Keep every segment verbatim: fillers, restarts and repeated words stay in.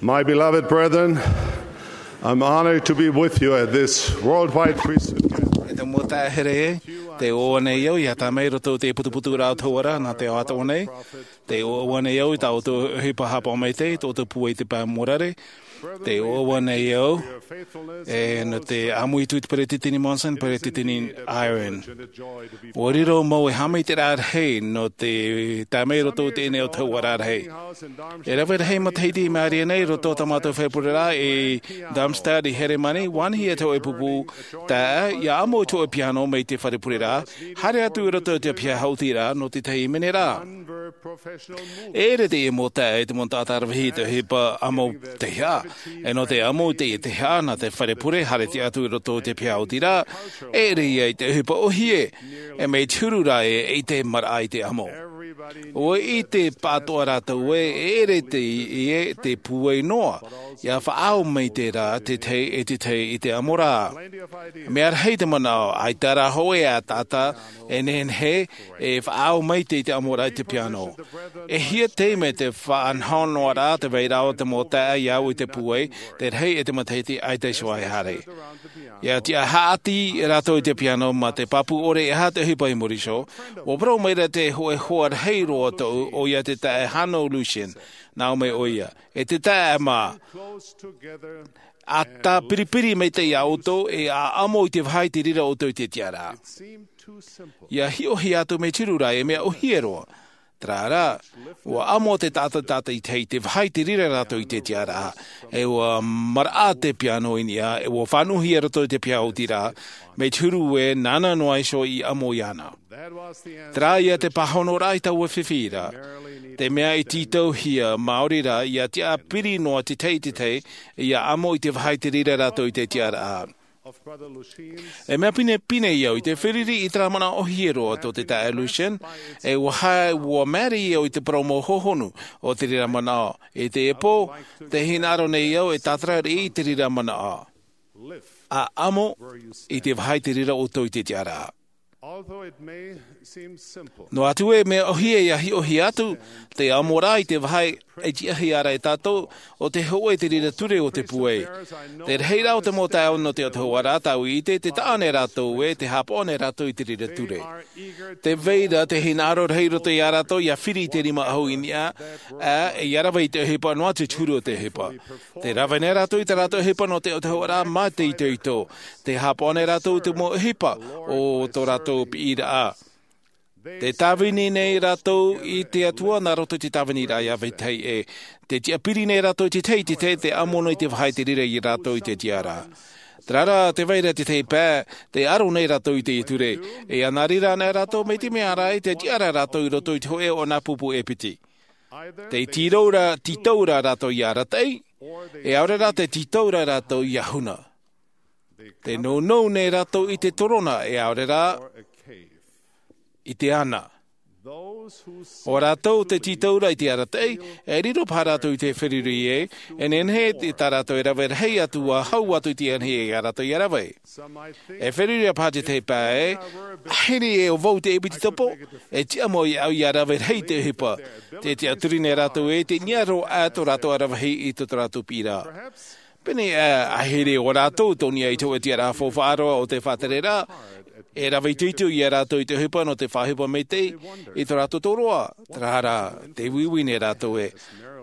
My beloved brethren, I'm honored to be with you at this worldwide priesthood gathering. E te mau taeaʻe here, tē ʻoaʻoa nei au ia tāmau i roto i te putuputuraʻa o te hauora nā te ao atoʻa nei. Tē ʻoaʻoa nei au i tā ʻoutou ʻohipa haʻapaʻo maitaʻi, tō ʻoutou pūai i te pae morare. Tē ʻoaʻoa nei au e nō te ʻāmui atu i te Peresideni Monson, Peresideni Eyring. ʻUa riro mau e haʻamaitaʻiraʻa rahi nō te tāmau i roto i teie nei ʻō tau ʻāraʻa rahi. E rave rahi matahiti i mārie nei i roto i tā mātou fare pureraʻa i Darmstadt i Heremani, ʻua anaʻe atu e pupu taeaʻe, ʻia amo i te hōʻē piano mai te fare pureraʻa, haere atu i roto i te piha haʻutiraʻa nō te tahi minera. E ʻere teie mau taeaʻe i te mau taʻata rave rahi i te ʻohipa amo teiaha. E nō te amo i teie teiaha nā te fare pure, haere atu i roto i te piha haʻutiraʻa, e ʻere ia i te ʻohipa ʻōhie, e mea te huru rā ē, ʻeita e maraʻa i te amo. ʻUa ʻite pāʻatoʻa rātou ē, e ʻere teie te pūai noa, ʻia faʻaau maitaʻi rā te tahi e te tahi i te amo ra. Mea rahi te manaʻo, ʻaita rā hōʻē ā taʻata e nehenehe e faʻaau maitaʻi i te amo ra i te piano. E hia taime te faʻanahonahoraʻa, te vairaʻa o te mau taeaʻe ʻia au i te pūai, te rahi e te matahiti ʻaita iho e haere. ʻIa tiʻa haʻati rātou i te piano mā te pāpū ʻore e aha te ʻohipa i muri iho, ʻua parau mai ra te hōʻē hoa rahi roa tōʻu, ʻoia te taeaʻe Hanno Luschen, nā ʻō mai ʻoia, e te taeaʻe mā, ʻa tāpiripiri maitaʻi ia ʻoutou, e ʻa amo i te vāhi te reira ʻoutou i te tiʻaraʻa. ʻIa hiʻohia atu mea te huru rā ē, mea ʻōhie roa. Terā rā, ʻua amo te taʻata, taʻata i te, i te vāhi te reira rātou i te tiʻaraʻa, e ʻua maraʻa te piano i niʻa, e ʻua fānauhia i roto i te piha haʻutiraʻa, mea te huru ē, nāna noa iho i amo iāna. Terā ia te pāhonoraʻa i taua fifi ra. Te mea i tītauhia maori rā, ʻia tiʻa piri noa te tahi i te tahi, ʻia amo i te vāhi te reira rātou i te tiʻaraʻa. E mea pinepine au i te feruri i terā manaʻo ʻōhie roa tō te taeaʻe Luschen, e ʻua haere, ʻua māere au i te parau mau hohonu o te reira manaʻo. I teie pō, tē hinaʻaro nei au e tātara riʻi i te reira manaʻo. ʻA amo i te vāhi te reira ʻoutou i te tiʻaraʻa. Although it may seem simple, Noa atu ē mea ʻōhie ʻia hiʻohia atu, te amo ra i te vāhi e tiʻahia ra e tātou, ʻo te hōʻē te reira ture o te pūai. Te rahiraʻa o te mau taeaʻe nō te ʻō tau ʻāraʻa tāʻu i ʻite, tē taʻa nei rātou ē, tē haʻapaʻo nei rātou i te reira ture. Tē vai ra te hinaʻaro rahi roto ia rātou ʻia firi i te rima ʻahu i niʻa, ā, ʻia rave i te ʻohipa noa atu i te huru o te ʻohipa. Tē rave nei rātou i tā rātou ʻohipa nō te ʻō tau ʻāraʻa mā te itoito. Tē haʻapaʻo nei rātou i te mau ʻohipa o tō rātou piʻiraʻa. Tē tāvini nei rātou i te Atua nā roto i te tāviniraʻa ʻia vetahi ē. Tē tiʻapiri nei rātou i te tahi i te tahi, tē amo nei te vāhi te reira ia rātou i te tiʻaraʻa. Terā rā, tē vai ra te tahi pae, tē aro nei rātou i te ture. E ʻia nā reira anaʻe rātou, mai te mea rā, tē tiʻa ra rātou i roto i te hōʻē o nā pupu e piti. Tē tītau ra, tītau ra rātou ʻia arataʻi, e ʻaore rā tē tītau ra rātou ʻia huna. Tē nounou nei rātou i te torona, e ʻaore rā i te ana. ʻO rātou tē tītau ra i te arataʻi, e riro paha rātou i te feruri ē, e nehenehe tā rātou e rave rahi atu ʻa hau atu i te ana ia rātou ʻia rave. E feruri paha te tahi pae, ʻahiri ē ʻo vau te ʻepitetopo, e tiʻa mau ia au ʻia rave rahi i te ʻohipa. Tē tiʻaturi nei rātou ē, tē niʻa roa atu rātou ʻia rave rahi i tō rātou piʻiraʻa. Pēnei ā, ʻahiri ʻo rātou tō niʻa i te hōʻē tiʻaraʻa faufaʻa roa o te faʻatereraʻa, e rave itoito ia rātou i te ʻohipa nō te faʻaʻohipa maitaʻi i tō rātou tōroʻa, terā rā, tē uiui nei rātou ē.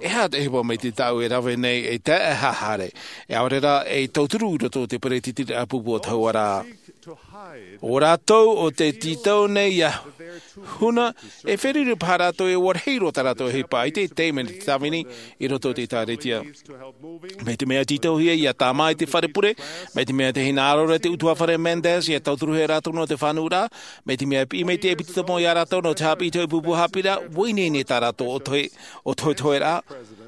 E aha te ʻohipa maitaʻi tāʻu e rave nei e tae e haere, e ʻaore rā e tauturu i roto i te peretiteniraʻa pupu o te hauʻaraʻa. ʻO rātou ʻo tē tītau nei ʻia huna, e feruri paha rātou e ʻua rahi roa tā rātou ʻohipa i te taime nō te tāvini i roto i te ʻĒtārētia. Mai te mea tītauhia ʻia tāmā i te fare pure, mai te mea tē hinaʻaro ra te ʻutuāfare Mendes ʻia tauturuhia rātou nō te fānauraʻa, mai te mea piʻi mai te ʻepitetopo ia rātou nō te haʻapiʻi i te hōʻē pupu haʻapiʻiraʻa, ʻua ʻī nei nei tā rātou ʻōtohe, ʻōtohetoheraʻa.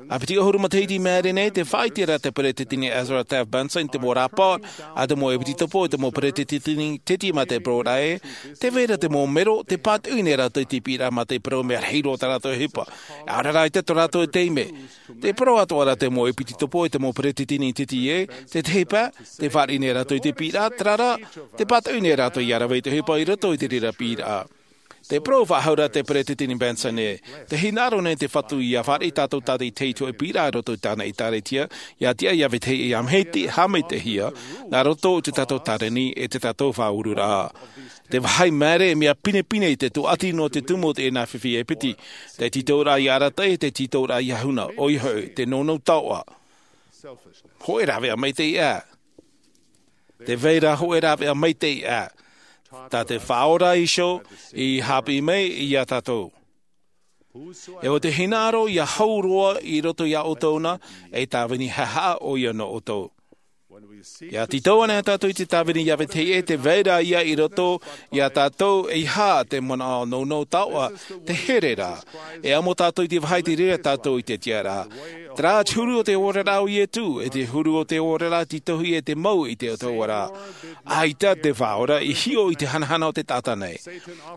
ʻA piti ʻahuru matahiti i maere nei, tē faʻaʻite ra te peretiteni Ezra Taft Benson i te mau rāpae a te mau ʻepitetopo, te mau peretiteni teti mā te parau ra ē, tē vai ra te mau mero, tē pātoʻi nei rātou i te piʻiraʻa mā te parau mea rahi roa tā rātou ʻohipa. ʻAore rā ʻaita tō rātou taime. Tē parau atoʻa ra te mau ʻepitetopo e te mau peretiteni teti ē, te tahi pae, tē fāriʻi nei rātou i te piʻiraʻa, terā rā, tē pātoʻi nei rātou ʻia rave i te ʻohipa i roto i te reira piʻiraʻa. Te parau faʻahou ra te peresideni Benson ē, te hinaʻaro nei te Fatu ʻia fāriʻi tātou tātou i te hōʻē piʻiraʻa i roto i tāna ʻēkālesia, ʻia tiʻa ʻia vetahi ʻia maitaʻi, haʻamaitaʻihia, nā roto i tō tātou tāreni ʻe tō tātou faʻaururaʻa. Te vāhi māere, mea pinepine i te tūʻati nō te tumu o teie nā fifi e piti, te tītauraʻa ʻia arataʻi, te tītauraʻa ʻia huna, ʻoia hoʻi, te nounou taoʻa. Hōʻē rāveʻa maitaʻi ā. Te vai ra hōʻē rāveʻa maitaʻi ā. Tā te Faʻaora iho i haʻapiʻi mai iā tātou. E ʻo te hinaʻaro ʻia hau roa i roto iā ʻoutou na, e tāvini haʻahaʻa ʻoia nō ʻoutou. ʻIa tītau ana tātou i te tāvini ʻia vetahi ʻē, te vai ra ïa i roto iā tātou, e aha te manaʻo nounou taoʻa, te here ra. E amo tātou i te vāhi i te reira tātou i te tiʻaraʻa. Terā te huru o te oraraʻa o Ietu, e te huru o te oraraʻa tītauhia e te mau i te autahuʻaraʻa. ʻAita te Faʻaora i hiʻo i te hanahana o te taʻata nei.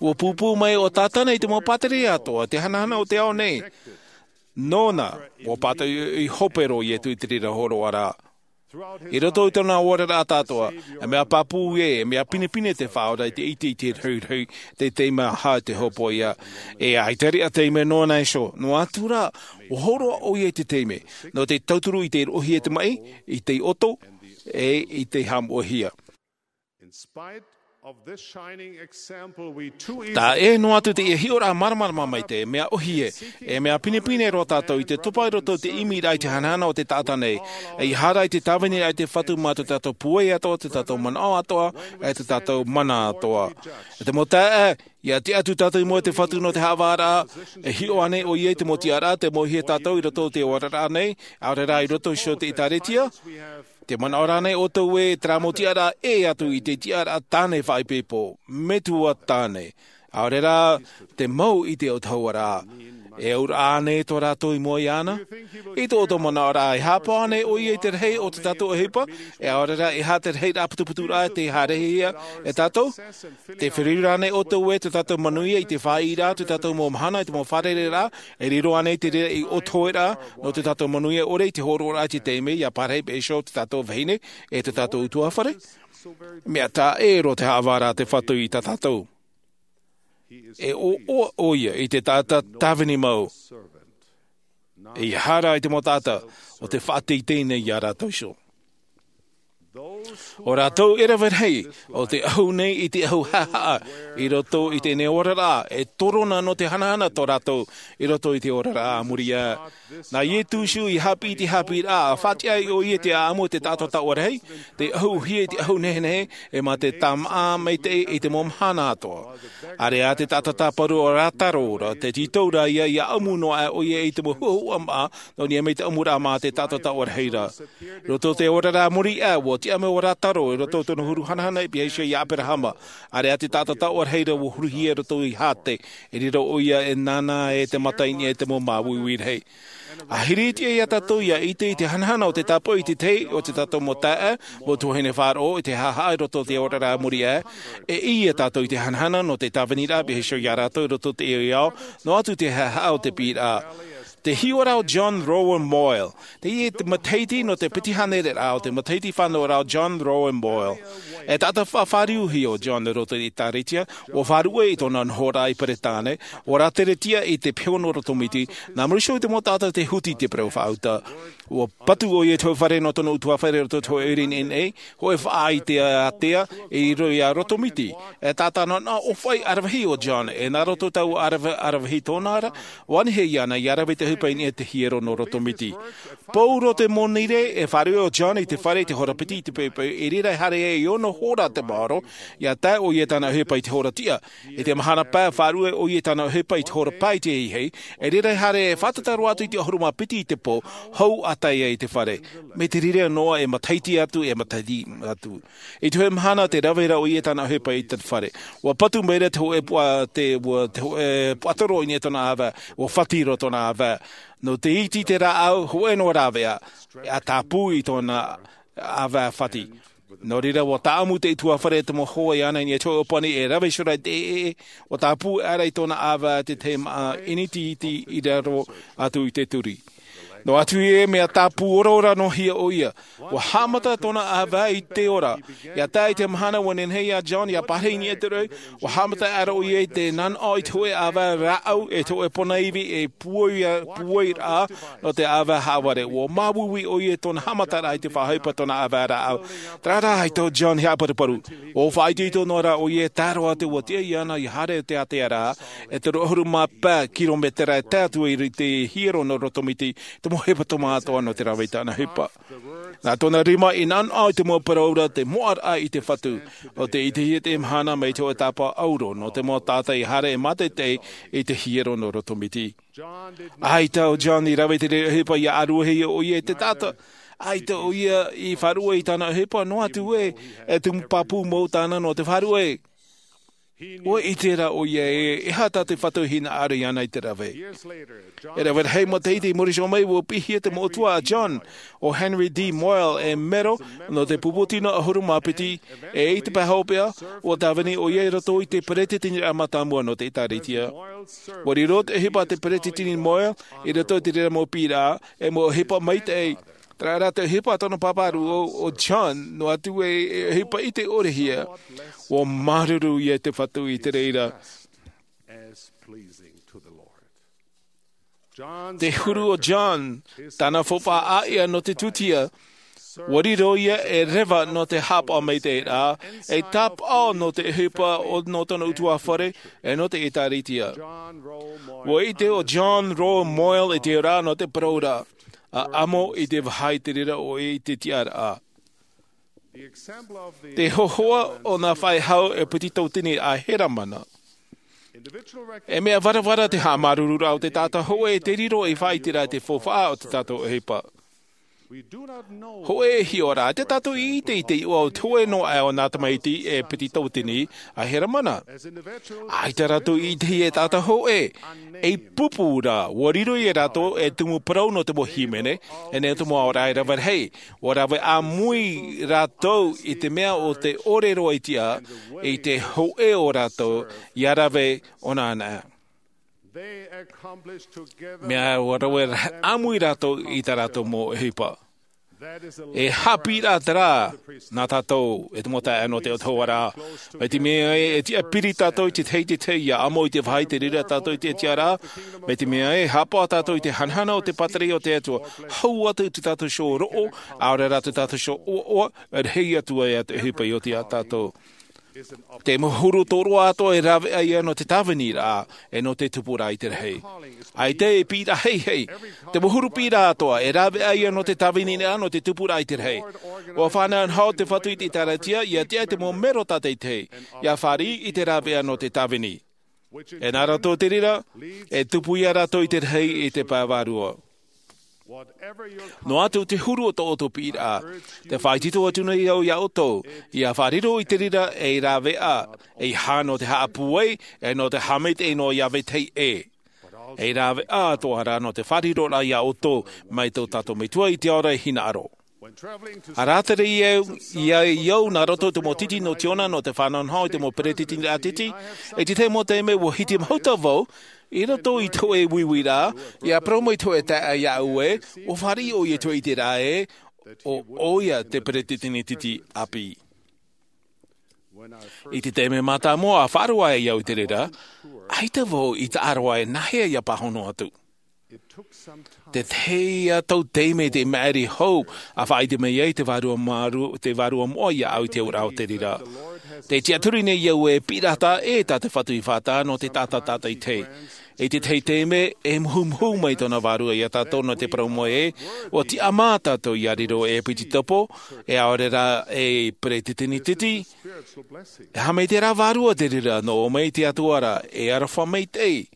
ʻUa pūpū mai ʻo Tātana i te mau pātireia atoʻa, te hanahana o te ao nei. Nōna, ʻua pātoʻi i hope roa Ietu i te reira hōroʻaraʻa. I roto i tōna oraraʻa tātou, e mea pāpū ē, e mea pinepine te Faʻaora i te ʻite i te rahirahi, te taime aha te hōpoiʻa. E ʻaita riʻa taime nōna iho, noa atu rā, ʻua hōroʻa ʻoia i te taime, nō te tauturu i te roʻohia i te maʻi, i te ʻoto, ʻe i te haʻamoʻehia. In spite of this shining example, we too easily Tā ē noa atu teie hiʻoraʻa māramarama maitaʻi, mea ʻōhie, e mea pinepine roa tātou i te topa i roto i te ʻimiraʻa i te hanahana o te taʻata nei, e ʻia haere i te tāviniraʻa i te Fatu mā tō tātou pūai atoʻa, tō tātou manaʻo atoʻa, e tō tātou mana atoʻa. E te mau taeaʻe, ʻia tiʻa atu tātou i mua i te Fatu nō te haʻavāraʻa, e hiʻo ānei ʻoia i te mau tiʻaraʻa, te mau hia tātou i roto i te oraraʻa nei, ʻaore rā i roto iho i te ʻĒtārētia? Te manaʻo rānei ʻoutou ē, terā mau tiʻaraʻa ʻē atu i te tiʻaraʻa tāne faʻaipoipo, metua tāne, ʻaore rā te mau i te autahuʻaraʻa? E auraʻa ānei tō rātou i mua iāna? I tō ʻoutou manaʻoraʻa, e haʻapaʻo ānei ʻoia i te rahi o tō tātou ʻohipa, e ʻaore rā, e aha te rahiraʻa putuputuraʻa tē haerehia e tātou? Tē feruri rānei ʻoutou ē, tō tātou manuia i te faʻaʻiteraʻa, tō tātou mau mahana, i te mau fārereiraʻa, e riro ānei te reira ei ʻōtoheraʻa, nō tō tātou manuia ʻore i te hōroʻaraʻa i te taime, ʻia pārahi paʻi iho tō tātou vahine, e tō tātou ʻutuāfare? Mea taʻa ʻē roa te haʻavāraʻa a te Fatu i tā tātou. E ʻoaʻoa ʻoia i te taʻata tāvini mau. E ʻia haere i te mau taʻata, ʻo tē faʻateitei nei iā rātou iho. ʻO rātou e rave rahi, ʻo te ʻahu nei i te ʻahu haʻahaʻa, i roto i teie nei oraraʻa, e torona nō te hanahana tō rātou, i roto i te oraraʻa a muri aʻe. Nā Ietu iho i haʻapiʻi i te haʻapiʻiraʻa, ʻa faʻatiʻa ai ʻoia i te ʻāʻamu o te taʻata taoʻa rahi, tē ʻahuʻahuhia i te ʻahu nehenehe, e mā te tāmāʻa maitaʻi i te mau mahana atoʻa. ʻĀreʻa te taʻata tāparu ʻo Rātaro ra, tē tītau ra ïa, ʻia ʻamu noa aʻe ʻoia i te mau huʻahuʻa māʻa, nō niʻa mai te ʻamuraʻa mā te taʻata taoʻa rahi ra. Roto i te oraraʻa a muri aʻe, ʻua tiʻa mai ʻo Rātaro, i roto i tōna huru hanahana i pihaʻi iho iā ʻĀperahama. ʻĀreʻa te taʻata taoʻa rahi ra ʻua huruhia i roto i Hate, e riro ʻoia e nānā e te mata i niʻa i te mau māuiui rahi. ʻA hiriʻi atu iā tātou ʻia ʻite i te hanahana o te tāpaʻo i te tahi o tō tātou mau taeaʻe, mau tuahine faʻaroʻo i te haʻahaʻa i roto i te oraraʻa a muri aʻe, e ʻī tātou i te hanahana nō te tāviniraʻa i pihaʻi iho iā rātou i roto i te ao, noa atu te haʻahaʻa o te piʻiraʻa. Te hiʻoraʻa o John Rowan Boyle. Teie te matahiti nō te piti hānere ra o te matahiti fānauraʻa o John Rowan Boyle. E taʻata faʻafāriuhia ʻo John i roto i te ʻĒtārētia, ʻua faʻaruʻe i tōna nohoraʻa i Peretāne, ʻua rāteretia i te peho nō Rotomiti, nā muri iho i te mau taʻata tē huti i te parau faʻauta. ʻUa patu ʻoia i te hōʻē fare nō tōna ʻutuāfare i roto i te hōʻē ʻoire i nehenehe, hōʻē faʻaʻātea, i roto iā Rotomiti. E taʻata nā, nā ʻōfaʻi ʻaravihi ʻo John, e nā roto i taua ʻaravi-, ʻaravihi tōna ra, ʻua nehenehe iāna ʻia rave i te ʻohipa i niʻa i te hiero nō Rotomiti. Pau roa te monirē, e faʻaruʻe ʻo John i te fare i te hora piti i te poʻipoʻi, i reira e haere ai i ono hora te maoro, ʻia tae ʻoia i tāna ʻohipa i te hora tiʻa. I te mahana pae, faʻaruʻe ʻoia i tāna ʻohipa i te hora pae i te ahiahi, i reira e haere e fātata roa atu i te ʻahuru mā piti i te pō, hou ʻa tae ai i te fare. Mai te reira noa e matahiti atu, e matahiti atu. I te hōʻē mahana tē rave ra ʻoia i tāna ʻohipa i te fare. ʻUa patu maira te hōʻē puʻa-, te, ʻua, te hōʻē puaʻatoro i niʻa i tōna ʻāvae, ʻua fati roa tōna ʻāvae. Nō te iti i te rāʻau, hōʻē noa rāveʻa, ʻa tāpū i tōna ʻāvae fati. Nō reira, ʻua tāʻamu te ʻutuāfare i te mau hoa iāna i niʻa i te hōʻē ʻōpani e rave iho ra i te ʻēʻē, ʻua tāpū aʻera i tōna ʻāvae te tahi māʻa ʻinitiiti i raro atu i te turi. Noa atu ē mea tāpū ora ora noa hia ʻoia. Ua haʻamata tōna ʻāvae i te ora. Ia tae i te mahana ua nehenehe iā John ia pārahi i niʻa i te roʻi, ua haʻamata aʻera ʻoia i te nanaʻo i te hōʻē ʻāvae rāʻau e te hōʻē pona ivi e puai, puai rā nō te ʻāvae haʻavare. Ua māuiui ʻoia i tōna haʻamataraʻa i te faʻaʻohipa tōna ʻāvae rāʻau. Terā rā i tō John i haʻaparuparu. Ua faʻaitoito noa rā ʻoia e tae roa atu ua tiʻa iāna ia haere i te ātea rā, e toru ʻahuru mā pae kirometera e tae atu i te hiero nō roto miti, te mau hepetoma atoʻa nō te rave i tāna ʻohipa. Nā tōna rima i nanaʻo i te mau parau ra te moʻaraʻa i te Fatu, ʻo te ʻitehia te mahana mai te hōʻē tāpaʻo ʻauro nō te mau taʻata i haere e mātaʻitaʻi i te hiero nō roto miti. ʻAita ʻo John i rave i te reira ʻohipa ia ʻāruahia ʻoia e te taʻata. ʻAita ʻoia i faʻaruʻe i tāna ʻohipa, noa atu ē, e tumu pāpū mau tāna nō te faʻaruʻe. Ua ʻite rā ʻoia ē, e aha tā te Fatu e hinaʻaro iāna i te rave. E rave rahi matahiti i muri iho mai, ua piʻihia te moʻotua a John, ʻo Henry D. Moyle, e mero nō te pupu tino ʻahuru mā piti, e i te pae hopeʻa, ua tāvini ʻoia i roto i te peretiteniraʻa mātāmua nō te ʻĒtārētia. Ua riro te ʻohipa a te peretiteni Moyle i roto i te reira mau piʻiraʻa, e mau ʻohipa maitaʻi. Terā rā te ʻohipa a tōna pāpā rūʻau, ʻo John, noa atu ē, e ʻohipa ʻite ʻore hia, ua māuruuru ia i te Fatu i te reira. Te huru o John, tāna faufaʻa ʻāʻia nō te tūtia, ua riro ia e reva nō te haʻapaʻo maitaʻi ra, e tāpaʻo nō te ʻohipa o, nō tōna ʻutuāfare, e nō te ʻĒtārētia. Ua ʻite ʻo John Rowe Moyle i te ora nō te parau ra, ʻa ʻamo i te vāhi i te reira ʻoe i te tiʻaraʻa. Te hōhoʻa o nā faʻehau e piti tautini a Heramana. E mea varavara te haʻamāuruururaʻa o te taʻata hōʻē e te riro ei faʻaʻiteraʻa i te faufaʻa o tā tātou ʻohipa. Hōʻē e hiʻo ra, ʻaita tātou i ʻite i te iʻoa o te hōʻē noa aʻe o nā tamaiti e piti tautini a Heramana. ʻAita rātou i ʻitehia e taʻata hōʻē, ei pupu ra, ua riro ia rātou e tumu parau nō te mau hīmene, e nā te mau aoraʻi rave rahi, ua rave ʻāmui rātou i te mea o te ʻore roa i tiʻa, i te hōʻē o rātou, ia rave ʻōna ana. Mea ua rave ʻāmui rātou i tā rātou mau ʻohipa. E haʻapiʻiraʻa terā nā tātou, e te mau taeaʻe nō te atua ra. Mai te mea ē, e tiʻa piri tātou i te tahi i te tahi, ia ʻamo i te vāhi i te reira tātou i te tiʻaraʻa. Mai te mea ē, haʻapaʻo tātou i te hanahana o te pātireia o te Atua, hau atu i tā tātou iho roʻo, ʻaore rā tā tātou iho ʻoaʻoa, e rahi atu ai te ʻohipa i oti ia tātou. Te mau huru tōroʻa atoʻa e rāveʻa ia nō te tāviniraʻa, e nō te tupuraʻa i te rahi. ʻAita e piʻiraʻa heihei. Te mau huru piʻiraʻa atoʻa e rāveʻa ia nō te tāviniraʻa, nō te tupuraʻa i te rahi. ʻUa faʻanahonaho te Fatu i te ʻĒtārētia, ia tiʻa i te mau mero tātaʻitahi, ia fāriʻi i te rāveʻa nō te tāvini. E nā roto i te reira, e tupu ia rātou i te rahi i te pae vārua. Noa atu te huru o tō ʻoutou piʻiraʻa, tē faʻaitoito atu nei au ia ʻoutou, ia faʻariro i te reira ei rāveʻa, ʻeiaha nō te haʻapūai, e nō te haʻamaitaʻi noa ia vetahi ʻē. Ei rāveʻa atoʻa rā nō te faʻariroraʻa ia ʻoutou, mai tō tātou Metua i te ao ra e hinaʻaro. ʻA rātere ia, ia, ia au nā roto i te mau titi nō Tiona nō te faʻanahonaho i te mau peretiteniraʻa titi, i te tahi mau taime ua hiti mahuta vau, i roto i te hōʻē uiuiraʻa, ia parau mai te hōʻē taeaʻe iāʻu ē, ʻua fāriʻi ʻoia i te ʻiteraʻa ē, ʻo, ʻoia te peretiteni titi ʻāpī. I te taime mātāmua ʻa faʻaroʻo ai au i te reira, ʻaita vau i taʻa roa e nāhea ia pāhono atu. Te tahi ā tau taime te maʻiri hou, ʻa faʻaʻite mai ai te Vārua Māru-, te Vārua Moʻa iāʻu i te auraʻa o te reira. Tē tiʻaturi nei au e piʻiraʻa ē tā te Fatu i faʻataʻa nō te taʻata tātaʻitahi. I te tahi taime, e muhumuhu mai tōna Vārua ia tātou nō te parau mai ē, ʻua tiʻamā tātou ia riro ei ʻēpititopo, e ʻaore rā ei peretiteni titi, e haʻamaitaʻiraʻa vārua te reira nō ʻō mai te Atua ra, e aroha maitaʻi.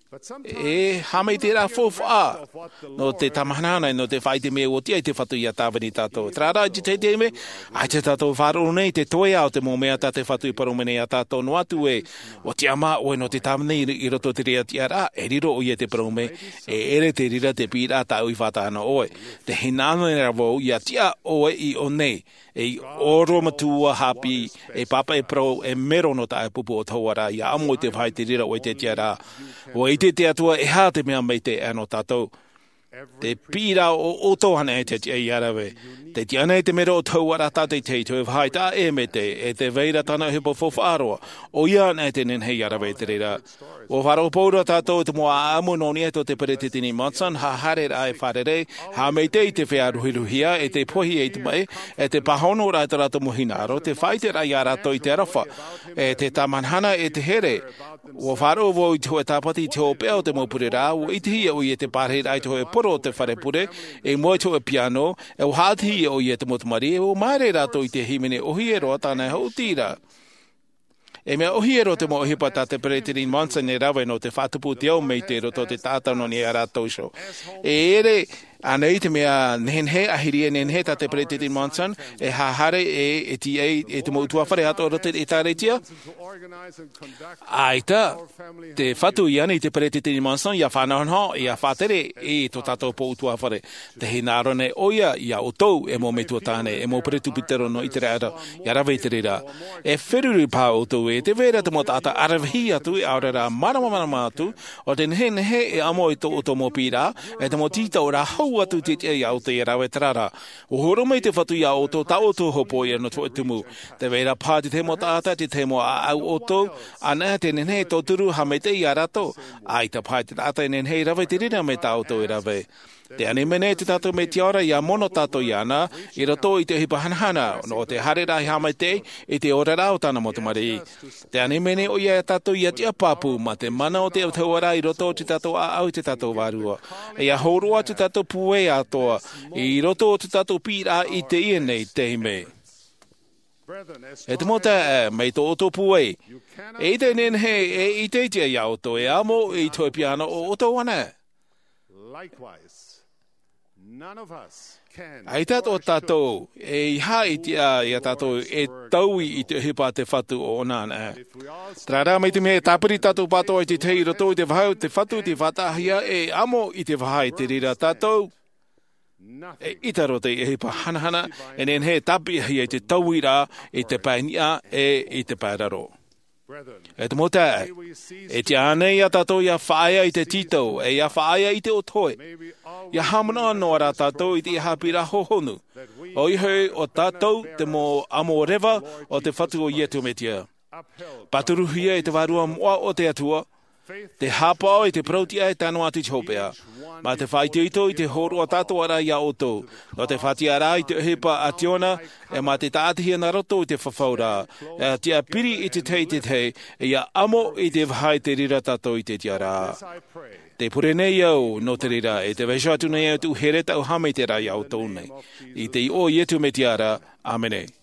E haʻamaitaʻiraʻa faufaʻa nō te tāmahanahana, nō te faʻaʻite mai ʻua tiʻa i te Fatu ia tāvini tātou. Terā rā, i te tahi taime, ʻaita tātou e faʻaroʻo nei te toeʻa o te mau mea tā te Fatu i parau mai nei ia tātou, noa atu ē, ʻua tiʻamā ʻoe nō te tāvini i roto i te reira tiʻaraʻa, e riro ʻoia i te parau mai, e ʻere te reira te piʻiraʻa tāʻu i faʻataʻa nō ʻoe. Tē hinaʻaro nei ra vau ia tiʻa ʻoe i ʻō nei, ei orometua haʻapiʻi, ei pāpaʻi parau, ei mero nō taʻu pupu ʻōtahua ra, ia ʻamo i te vāhi i te reira ʻoe i te tiʻaraʻa. ʻUa ʻite te Atua e aha te mea maitaʻi nō tātou. Te piʻiraʻa o ʻoutou anaʻe te tiʻa ia rave. Te tiʻa nei te mero o te hau ara tātou i te hei toe vaha i taʻa e me te e te vaira tāna ʻohipa faufaʻa roa. ʻOia anaʻe te nehenehe ia rave i te reira. Ua faʻaroʻo pauroa tātou i te mau ʻaʻamu nō niʻa tō te peresideni Monson, haʻahaereraʻa e fārerei, haʻamaitaʻi i te feiā ruhiruhia e te pohi e i te maʻi, e te pāhonoraʻa i tō rātou mau hinaʻaro, te faʻaʻiteraʻa ia rātou i te aroha, e te tāmahanahana e te here. Ua faʻaroʻo vau i te hōʻē tāpati i te hopeʻa o te mau pureraʻa, ua ʻitehia ʻoia i te pārahiraʻa i te hōʻē poro o te fare pure, i mua i te hōʻē piano, e ua haʻatihia ʻoia i te mau tamariʻi, e ua māere rātou i te hīmene ʻōhie roa tāna e hoʻi ra. E mea ʻōhie roa te mau ʻohipa tā te peresideni Monson e rave nō te faʻatupu o te ao mai te roto o te taʻata nō niʻa ia rātou iho. E ʻere ānei te mea nehenehe, ʻahiri e nehenehe tā te peresideni Monson e haʻahaere e, e tiʻa i te mau ʻutuāfare atoʻa roto i te ʻĒtārētia? ʻAita, te fatu i ani te peresideni Monson ia faʻanahonaho, ia faʻatere i tō tātou pō ʻutuāfare. Te hinaʻaro nei ʻoia ia ʻoutou e mau metua tāne, e mau peresibutero nō ʻĪteraʻera, ia rave i te reira. E feruri paha ʻoutou ē, tē vai ra te mau taʻata ʻaravihi atu, ʻaore rā māramarama atu, ʻo te nehenehe e amo i tō ʻoutou mau piʻiraʻa, e te mau tītauʻaraʻa hau atu i te tiʻa ia ʻoutou ia rave terā rā. Ua hōroʻa mai te fatu ia ʻoutou tā ʻoutou hopoiʻa nō te hōʻē tumu. Tē vai ra paha te tahi mau taʻata, te tahi mau ʻāʻau ʻoutou, anaʻe te nehenehe e tauturu haʻamaitaʻi ia rātou. ʻAita paha te taʻata e nehenehe e rave i te reira mai tā ʻoutou e rave. Tē ani mai nei tō tātou Metua ra ia mono tātou iāna, i roto i te ʻohipa hanahana, nō te haereraʻa haʻamaitaʻi i te oraraʻa o tāna mau tamariʻi. Tē ani mai nei ʻoia ia tātou ia tiʻa pāpū, mā te mana o te Atua ra i roto o tō tātou ʻāʻau i tō tātou Vārua. E ia hōroʻa tō tātou pūai atoʻa, i roto o tō tātou piʻiraʻa i teie nei taime. E te mau taeaʻe, mai tō ʻoutou pūai, e ʻite e nehenehe, e ʻite i te tiʻa ia ʻoutou, e amo i te hōʻē piano o ʻoutou anaʻe. Likewise, none of us can ʻAita tō tātou, eiaha e tiʻa ia tātou e taui i te ʻohipa a te fatu ʻo ʻōna anaʻe. Terā rā, mai te mea e tāpiri tātou pātoʻa i te tahi i roto i te vaha o te fatu i te faʻataʻahia e amo i te vaha i te reira tātou, e ʻita roa te ʻohipa hanahana e nehenehe e tāpeʻahia i te tauiraʻa, i te pae niʻa e i te pae raro. E te mau taeaʻe, e tiʻa nei ia tātou ia faʻaea i te tītau, e ia faʻaea i te ʻotoʻe. Ia haʻamanaʻo noa rā tātou i te haʻapiʻiraʻa hōhonu. ʻOia hoʻi, ʻo tātou te mau amo reva o te fatu o Iesu Mesia. Pāturuhia e te Vārua moʻa o te Atua, te haʻapaʻo i te parau-tiʻa e tano atu i te hopeʻa. Mā te faʻaitoito i te hōroʻa tātou ra ia ʻoutou, nō te faʻatiʻaraʻa i te ʻohipa a Siona, e mā te tāʻatihia nā roto i te fafauraʻa, e tiʻa piri i te tahi i te tahi, e ia amo i te vaha i te reira tātou i te tiʻaraʻa. Tē pure nei au nō te reira, e tē vaiiho atu nei au tōʻu here, tōʻu haʻamaitaʻiraʻa ia ʻoutou nei. I te iʻoa o Iesu Mesia ra, ʻāmene.